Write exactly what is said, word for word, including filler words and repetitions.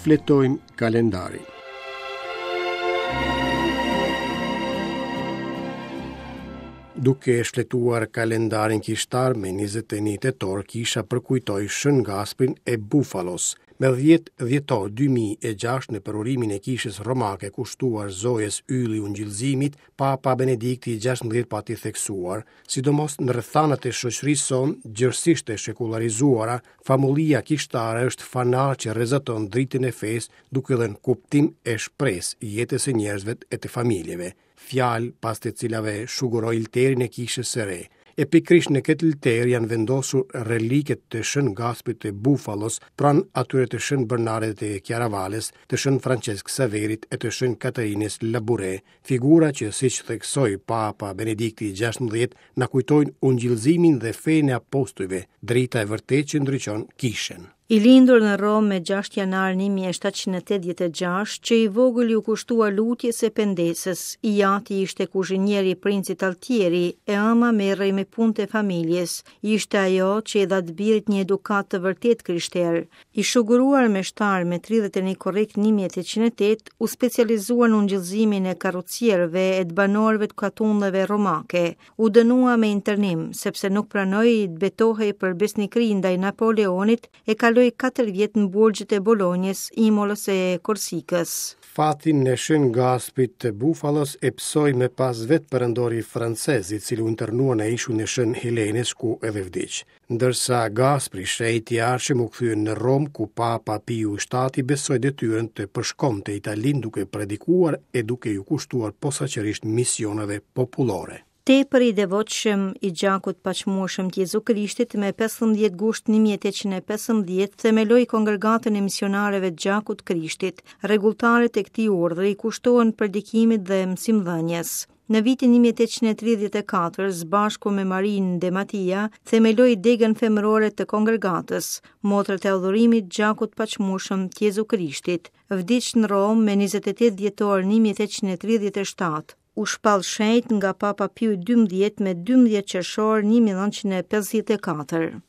Shfletojmë kalendarin. Duke shfletuar kalendarin kishtar me njëzet e një tetor, kisha përkujtoi Shën Gasprin e Bufalos. Me dhjetë dhjetor dy mijë e gjashtë, në përurimin e kishës romake kushtuar Zojës Ylli Ungjillzimit, Papa Benedikti i gjashtëmbëdhjetë pati theksuar, sidomos në rrethanat e shoqërisë sonë, gjerësisht e shekullarizuara, famullia kishtare është fanar që rrezaton dritën e fesë, duke dhënë kuptim e shpresë jetës së njerëzve e të familjeve. Fjalë pas të cilave shuguroi lterin e kishës së re. E pikërisht në këtë lter janë vendosur reliket të Shën Gasprit të Bufalos, pranë atyre të Shën Bernardit të Chiaravales, të Shën Francesc Saverit e të Shën Katarinës Labure, figura që, siç theksoi Papa Benedikti i gjashtëmbëdhjetë, na kujtojnë ungjillëzimin dhe fenë e apostujve, drita e vërtetë që ndriçon kishën. I lindur në Romë me gjashtë janar një mijë e shtatëqind e tetëdhjetë e gjashtë, që i vogël iu kushtua lutjes e pendesës. I ati ishte kuzhinieri i princit Altieri, e ëma merrej me punët e familjes. Ishte ajo që i dha të birit një edukat të vërtet krishter. I shuguruar me shtar me tridhjetë e një korrik një mijë e tetëqind e tetë, u specializua në ungjillëzimin e karrocierëve e të banorëve të katundeve romake. U dënua me internim, sepse nuk pranoi të betohej për besnikëri ndaj Napoleonit, e kaloi katër vjet në burgjet e Bolonjës, Imolës e Korsikës. Fatin e Shën Gasprit të Bufalos e pësoi me pas vetë perandori francez, i cili u internua në ishullin e Shën Helenës, ku edhe vdiq. Ndërsa Gaspri, shenjti i ardhshëm, u kthye në Romë, ku Papa Piu i shtati besoi detyrën të përshkonte Italinë duke predikuar e duke ju kushtuar posaçërisht misioneve popullore. Tepër i devotshëm i gjakut paqmueshëm të Jezu Krishtit, me pesëmbëdhjetë gusht një mijë e tetëqind e pesëmbëdhjetë themeloi kongregatën e misionareve të gjakut Krishtit. Rregulltarët e këtij urdhri kushtohen predikimit dhe mësimdhënies. Në vitin një mijë e tetëqind e tridhjetë e katër, së bashku me Marinë de Matia, themeloi degën femërore të kongregatës, motrat e adhurimit gjakut paqmueshëm të Jezu Krishtit. Vdiq në Romë me njëzet e tetë dhjetor një mijë e tetëqind e tridhjetë e shtatë. U shpall shenjt nga Papa Piu i dymbëdhjetë me dymbëdhjetë qershor një mijë e nëntëqind e pesëdhjetë e katër.